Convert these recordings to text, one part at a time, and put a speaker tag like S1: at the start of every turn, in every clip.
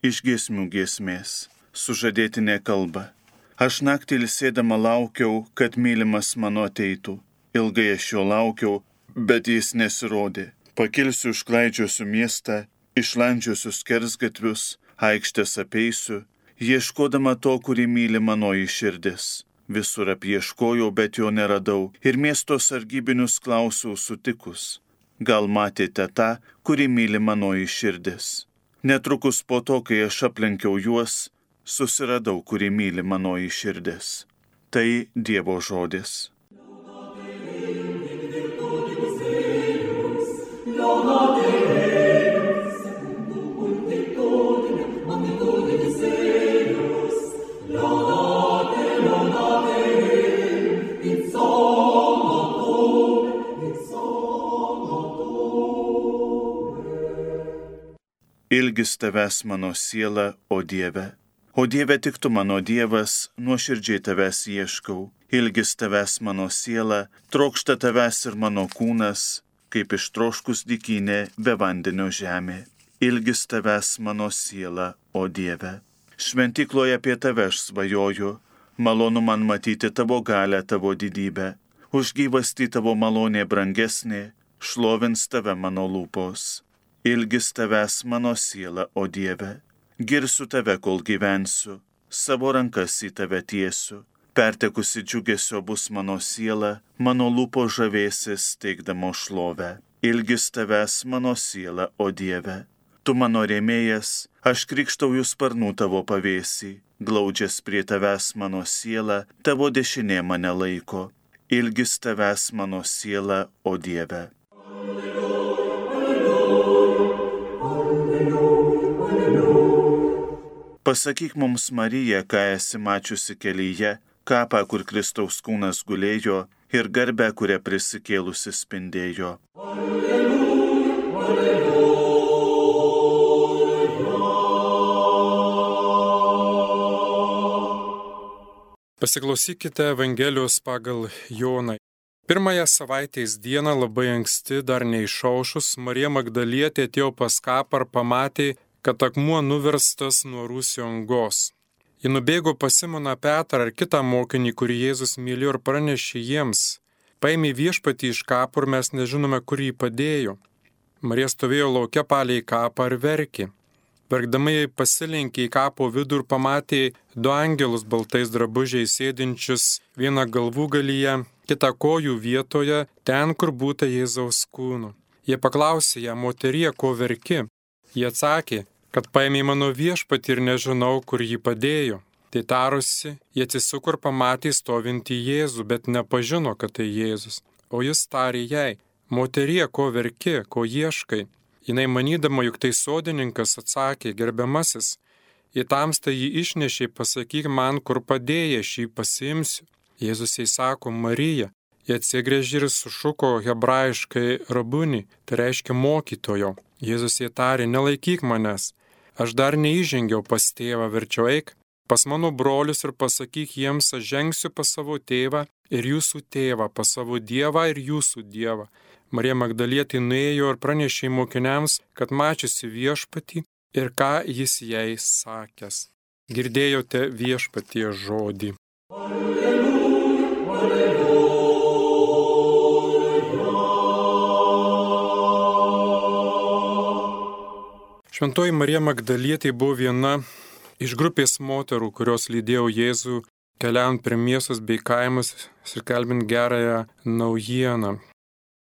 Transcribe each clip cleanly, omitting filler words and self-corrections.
S1: iš giesmių giesmės. Sužadėtinė kalba. Aš naktį ilsėdama laukiau, kad mylimas mano ateitų. Ilgai aš jo laukiau, bet jis nesirodė. Pakilsiu, išklaidžiosiu miestą, išlandžiosiu skersgatvius, aikštės apeisiu, ieškodama to, kurį myli manoji širdis. Visur apieškojau, bet jo neradau, ir miesto sargybinius klausiau sutikus. Gal matėte tą, kurį myli manoji širdis? Netrukus po to, kai aš aplenkiau juos, susiradau, kurį myli manoji širdis. Tai Dievo žodis. Ilgis tavęs mano siela, o Dieve. O Dieve, tik tu mano Dievas, nuoširdžiai tavęs ieškau. Ilgis tavęs mano siela, trokšta tavęs ir mano kūnas, kaip ištroškus dykynė be vandenio žemė. Ilgis tavęs mano siela, o Dieve. Šventykloje apie tave aš svajoju, malonu man matyti tavo galę, tavo didybę. Už gyvastį tavo malonė brangesnė, šlovins tave mano lūpos. Ilgis tavęs mano siela, o Dieve. Girsiu tave, kol gyvensiu, savo rankas į tave tiesiu. Pertekusi džiugesio bus mano siela, mano lūpo žavėsis teikdamo šlovę. Ilgis tavęs mano siela, o Dieve. Tu mano rėmėjas, aš krikštauju sparnų tavo pavėsį. Glaudžias prie tavęs mano siela, tavo dešinė mane laiko. Ilgis tavęs mano siela, o Dieve. Pasakyk mums, Marija, ką esi mačiusi kelyje, kapą, kur Kristaus kūnas gulėjo, ir garbę, kurią prisikėlusi spindėjo. Alleluja, alleluja.
S2: Pasiklausykite Evangelijos pagal Joną. Pirmąją savaitės dieną labai anksti, dar neišaušus, Marija Magdalietė atėjo pas kapą ir pamatė, kad akmuo nuverstas nuo rūsio angos. Ji nubėgo pas Simoną Petrą ar kitą mokinį, kurį Jėzus mylėjo, ir pranešė jiems: paėmė viešpatį iš kapo ir mes nežinome, kur jį padėjo. Marija stovėjo lauke palei kapą ir verkė. Verkdama jai pasilenkė į kapo vidų ir pamatė du angelus baltais drabužiais sėdinčius, vieną galvų galyje, kitą kojų vietoje, ten, kur būta Jėzaus kūno. Jie paklausė ją: moterie, ko verki? Jie atsakė, kad paėmė mano viešpatį ir nežinau, kur jį padėjo. Tai tarusi, jie atsisuko ir pamatė stovintį Jėzų, bet nepažino, kad tai Jėzus. O jis tarė jai: moterie, ko verki, ko ieškai? Jinai manydama, juk tai sodininkas, atsakė: gerbiamasis, į tamstą jį išnešė, pasakyk man, kur padėjai, aš jį pasiimsiu. Jėzus jai sako: Marija. Jie atsigręžė ir sušuko hebrajiškai rabuni, tai reiškia mokytojo. Jėzus jai tarė: nelaikyk manęs, aš dar neįžengiau pas tėvą, verčiau eik pas mano brolius ir pasakyk jiems, aš žengsiu pas savo tėvą ir jūsų tėvą, pas savo Dievą ir jūsų Dievą. Marija Magdalietė nuėjo ir pranešė mokiniams, kad mačiusi viešpatį ir ką jis jai sakęs. Girdėjote viešpaties žodį. Alleluja, alleluja. Šventoji Marija Magdalietė buvo viena iš grupės moterų, kurios lydėjo Jėzų keliaujant per miestus bei kaimus ir skelbiant gerąją naujieną.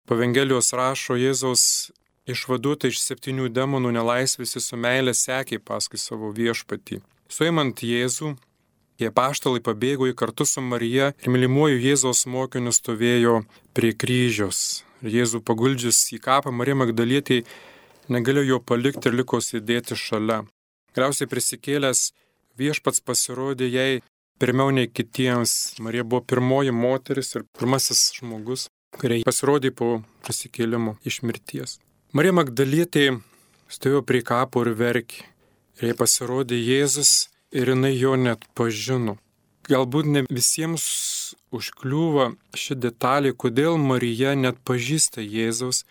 S2: Po Evangelijos rašo: Jėzaus išvaduota iš 7 demonų nelaisvės su meile sekė paskui savo viešpatį. Suimant Jėzų, jie apaštalai pabėgo į kartu su Marija ir mylimuoju Jėzaus mokiniu stovėjo prie kryžiaus. Jėzų paguldžius į kapą, Marija Magdalietė negalėjo jo palikti ir liko sėdėti šalia. Galiausiai prisikėlęs viešpats pasirodė jai pirmiau nei kitiems. Marija buvo pirmoji moteris ir pirmasis žmogus, kuriai pasirodė po prisikėlimo iš mirties. Marija Magdalietė stovėjo prie kapo ir verkė. Ir jai pasirodė Jėzus ir jinai jo net pažino. Galbūt ne visiems užkliūva ši detalė, kodėl Marija net pažįsta Jėzaus,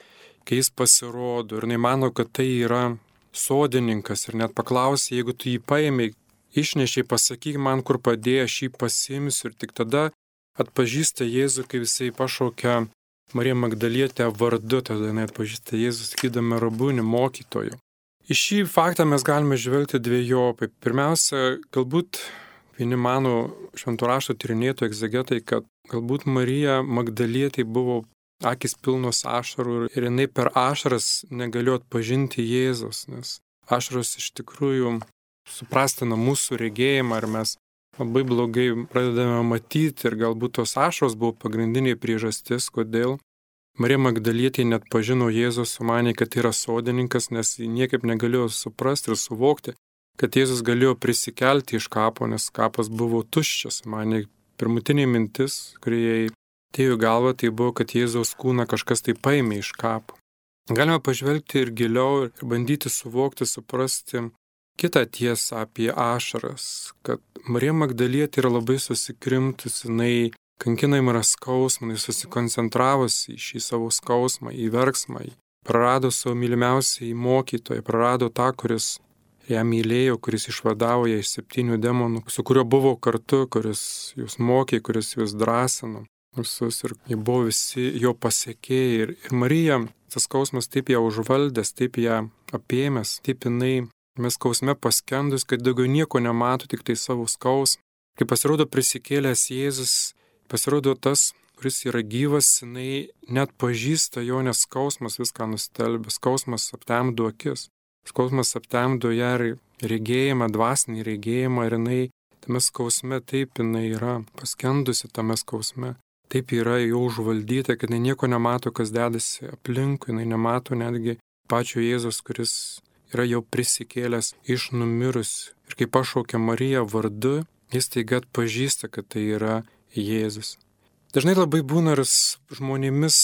S2: kai jis pasirodo, ir jinai mano, kad tai yra sodininkas ir net paklausė, jeigu tu jį paėmė, išnešiai, pasakyk man, kur padėjai, aš jį pasiimsiu. Ir tik tada atpažįsta Jėzų, kai jisai pašaukia Mariją Magdalietę vardu, tada jinai atpažįsta Jėzų, sakydama Rabuni, mokytoju. Į šį faktą mes galime žvelgti dvejopai. Pirmiausia, galbūt vieni mano šventų rašto tyrinėtojai, egzegetai, kad galbūt Marija Magdalietė buvo akis pilnos ašarų ir jinai per ašaras negalėjo atpažinti Jėzus, nes ašaros iš tikrųjų suprastina mūsų regėjimą ir mes labai blogai pradedame matyti ir galbūt tos ašaros buvo pagrindinė priežastis, kodėl Marija Magdalietė net pažino Jėzus, sumanė, kad yra sodininkas, nes ji niekaip negalėjo suprasti ir suvokti, kad Jėzus galėjo prisikelti iš kapo, nes kapas buvo tuščias. Manė, pirmutinė mintis, kuri jai atėjo į galvą, tai buvo, kad Jėzaus kūną kažkas tai paėmė iš kapo. Galime pažvelgti ir giliau ir bandyti suvokti, suprasti kitą tiesą apie ašaras, kad Marija Magdalietė yra labai susikrimtusi, jinai kankinama yra skausmą, jinai susikoncentravusi į šį savo skausmą, į verksmą, prarado savo mylimiausią mokytoją, prarado tą, kuris ją mylėjo, kuris išvadavo ją iš 7 demonų, su kuriuo buvo kartu, kuris jūs mokė, kuris jūs drąsino. Visus ir jie buvo visi jo pasekėjai. Ir Marija, tas skausmas taip ją užvaldęs, taip ją apėmęs, taip jinai mes skausme paskendus, kad daugiau nieko nemato, tik tai savo skausmą. Kai pasirodo prisikėlęs Jėzus, pasirodo tas, kuris yra gyvas, jinai net pažįsta jo, nes skausmas viską nustelbė, skausmas aptemdo akis, skausmas aptemdo ją regėjimą, dvasinį regėjimą ir jinai tame skausme taip jinai yra paskendusi tame skausme. Taip yra jau užvaldyta, kad jinai nieko nemato, kas dedasi aplinkui, jinai nemato netgi pačio Jėzus, kuris yra jau prisikėlęs iš numirusių. Ir kai pašaukia Mariją vardu, jis taiga atpažįsta, kad tai yra Jėzus. Dažnai labai būna ir žmonėmis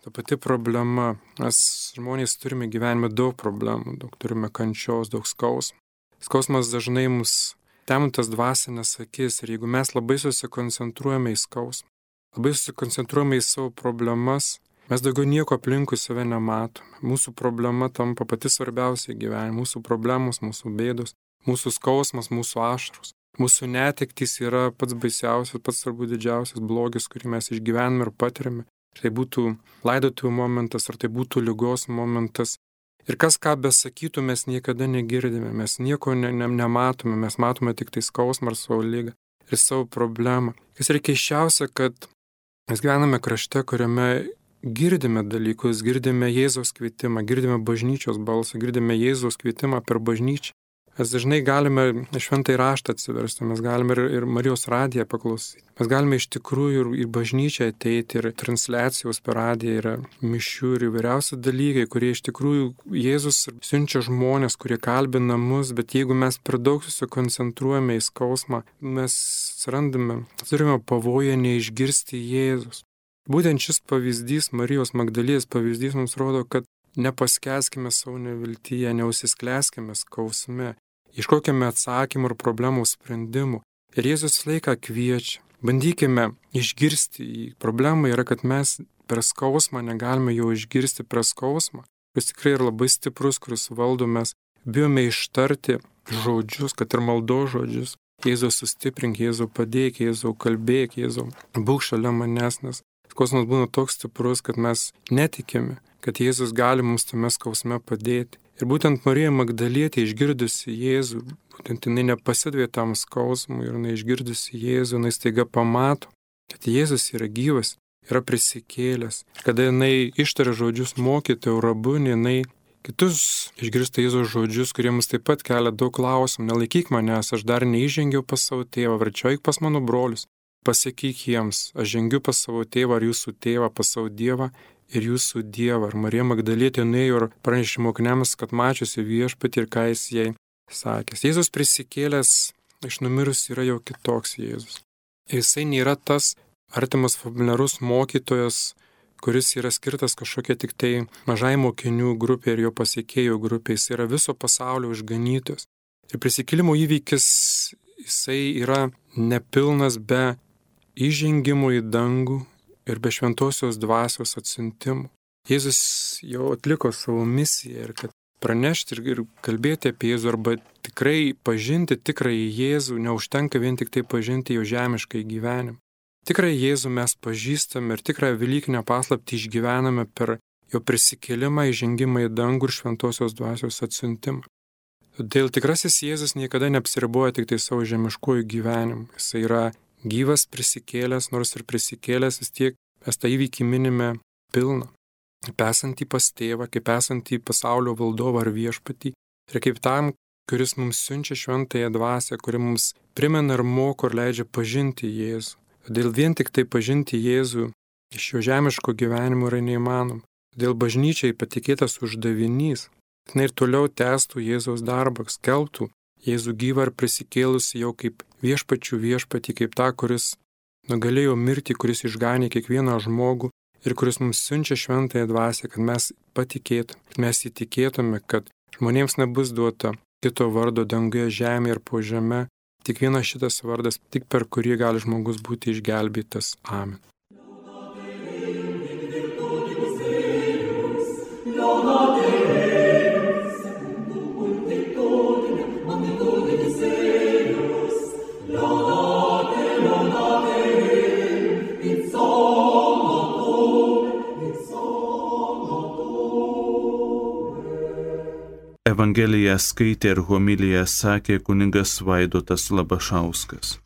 S2: ta pati problema. Mes žmonės turime gyvenime daug problemų, daug turime kančios, daug skausmų. Skausmas dažnai mus temtas dvasinės akis ir jeigu mes labai susikoncentruojame į skausmą, labai susikoncentruojame į savo problemas, mes daugiau nieko aplinkui save nematome. Mūsų problema tampa pati svarbiausia gyvenime. Mūsų problemos, mūsų bėdos, mūsų skausmas, mūsų ašaros. Mūsų netektys yra pats baisiausias, pats turbūt didžiausias blogis, kurį mes išgyvename ir patiriame. Ar tai būtų laidotuvių momentas, ar tai būtų ligos momentas. Ir kas ką besakytų, mes niekada negirdime, mes nieko nematome, mes matome tik tai skausmą ar savo ligą ir savo problemą. Kas yra keisčiausia, kad mes gyvename krašte, kuriame girdime dalykus, girdime Jėzaus kvietimą, girdime bažnyčios balsą, girdime Jėzaus kvietimą per bažnyčią. Mes dažnai galime šventąjį raštą atsiversti, mes galime ir Marijos radiją paklausyti. Mes galime iš tikrųjų ir į bažnyčią ateiti, ir transliacijos per radiją, ir mišių, ir įvairiausi dalykai, kurie iš tikrųjų Jėzus siunčia žmonės, kurie kalbina mus, bet jeigu mes per daug susikoncentruojame į skausmą, mes turime pavoją neišgirsti Jėzus. Būtent šis pavyzdys, Marijos Magdalietės pavyzdys mums rodo, kad nepaskęskime savo neviltyje, neužsisklęskime skausme, ieškokime atsakymų ir problemų sprendimų. Ir Jėzus laiką kviečia. Bandykime išgirsti jį. Problema yra, kad mes per skausmą negalime jo išgirsti per skausmą. Kuris tikrai yra labai stiprus, kuris valdo, mes bijome ištarti žodžius, kad ir maldos žodžius. Jėzau sustiprink, Jėzau padėk, Jėzau kalbėk, Jėzau būk šalia manęs, nes skausmas būna toks stiprus, kad mes netikime, kad Jėzus gali mums tame skausme padėti. Ir būtent Marija Magdalietė išgirdusi Jėzų, būtent jinai nepasidavė tam skausmui ir jinai išgirdusi Jėzų, jinai staiga pamato, kad Jėzus yra gyvas, yra prisikėlęs. Kada jinai ištaria žodžius mokytojau, Rabuni, jinai kitus išgirsta Jėzaus žodžius, kurie mums taip pat kelia daug klausimų. Nelaikyk manęs, aš dar neįžengiau pas savo tėvą, verčiau eik pas mano brolius. Pasakyk jiems, aš žengiu pas savo tėvą ar jūsų tėvą, pas savo Dievą ir jūsų Dievą. Ir Marija Magdalietė nuėjo ir pranešė mokiniams, kad mačiusi viešpatį ir ką jis jai sakęs. Jėzus prisikėlęs iš numirusių yra jau kitoks Jėzus. Jisai nėra tas artimas familiarus mokytojas, kuris yra skirtas kažkokia tik tai mažai mokinių grupė ir jo pasekėjų grupė. Jis yra viso pasaulio išganytojas. Ir prisikėlimo įvykis jisai yra nepilnas be įžengimo į dangų ir be šventosios dvasios atsiuntimo. Jėzus jau atliko savo misiją ir kad pranešti ir kalbėti apie Jėzų arba tikrai pažinti tikrąjį Jėzų, neužtenka vien tik tai pažinti jo žemiškai gyvenimą. Tikrąjį Jėzų mes pažįstame ir tikrąją Velykinę paslaptį išgyvename per jo prisikėlimą, įžengimą į dangų ir šventosios dvasios atsiuntimą. Todėl tikrasis Jėzus niekada neapsiriboja tik tai savo žemiškojų gyvenimu. Jis yra gyvas prisikėlęs, nors ir prisikėlęs vis tiek mes tą įvykį minime pilną. Kaip esantį pas tėvą, kaip esantį pasaulio valdovą ar viešpatį ir kaip tam, kuris mums siunčia šventąją dvasią, kuri mums primena ir moko ir leidžia pažinti Jėzų. Todėl vien tik tai pažinti Jėzų iš jo žemiško gyvenimo yra neįmanoma. Todėl bažnyčiai patikėtas uždavinys, kad ir toliau tęstų Jėzaus darbą, skelbtų Jėzų gyvą ir prisikėlusi jau kaip viešpačių viešpatį, kaip tą, kuris nugalėjo mirtį, kuris išganė kiekvieną žmogų ir kuris mums siunčia šventąją dvasią, kad mes patikėtume, kad mes įtikėtume, kad žmonėms nebus duota kito vardo danguje, žemėje ir po žeme, tik vienas šitas vardas, tik per kurį gali žmogus būti išgelbėtas. Amen.
S1: Evangeliją skaitė ir homiliją sakė kunigas Vaidotas Labašauskas.